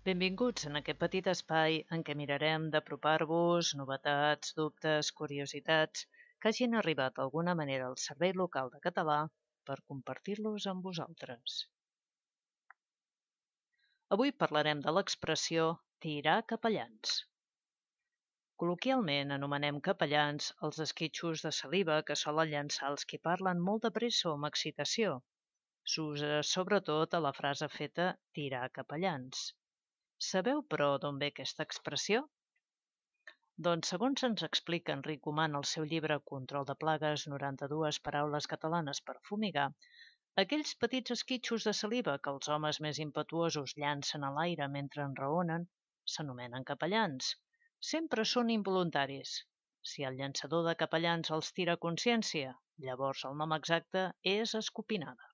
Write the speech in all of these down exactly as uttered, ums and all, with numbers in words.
Benvinguts en aquest petit espai en què mirarem d'apropar-vos novetats, dubtes, curiositats que hagin arribat d'alguna manera al Servei Local de Català per compartir-los amb vosaltres. Avui parlarem de l'expressió tirar capellans. Col·loquialment anomenem capellans els esquitxos de saliva que solen llançar els qui parlen molt de pressa o amb excitació. S'usa sobretot a la frase feta tirar capellans. Sabeu, però, d'on ve aquesta expressió? Doncs, segons ens explica Enric Oman al seu llibre Control de plagues, noranta-dues paraules catalanes per fumigar, aquells petits esquitxos de saliva que els homes més impetuosos llancen a l'aire mentre enraonen s'anomenen capellans. Sempre són involuntaris. Si el llançador de capellans els tira a consciència, llavors el nom exacte és escopinada.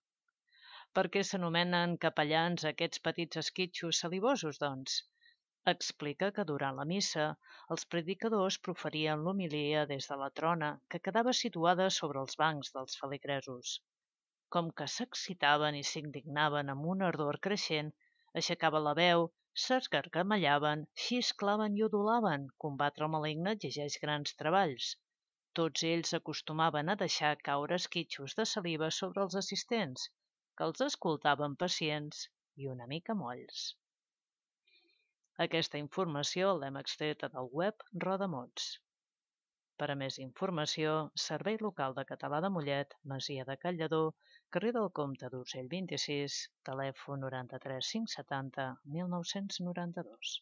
Per què s'anomenen capellans aquests petits esquitxos salivosos, doncs? Explica que durant la missa els predicadors proferien l'homilia des de la trona que quedava situada sobre els bancs dels feligresos. Com que s'excitaven i s'indignaven amb una ardor creixent, aixecaven la veu, s'esgargamellaven, xisclaven i udolaven. Combatre el maligne exigeix grans treballs. Tots ells acostumaven a deixar caure esquitxos de saliva sobre els assistents, que els escoltaven pacients i una mica molls. Aquesta informació l'hem extreta del web Rodamots. Per a més informació, Servei Local de Català de Mollet, Masia de Calladó, carrer del Comte d'Urgell vint-i-sis, telèfon noranta-tres cinc setanta mil nou-cents noranta-dos.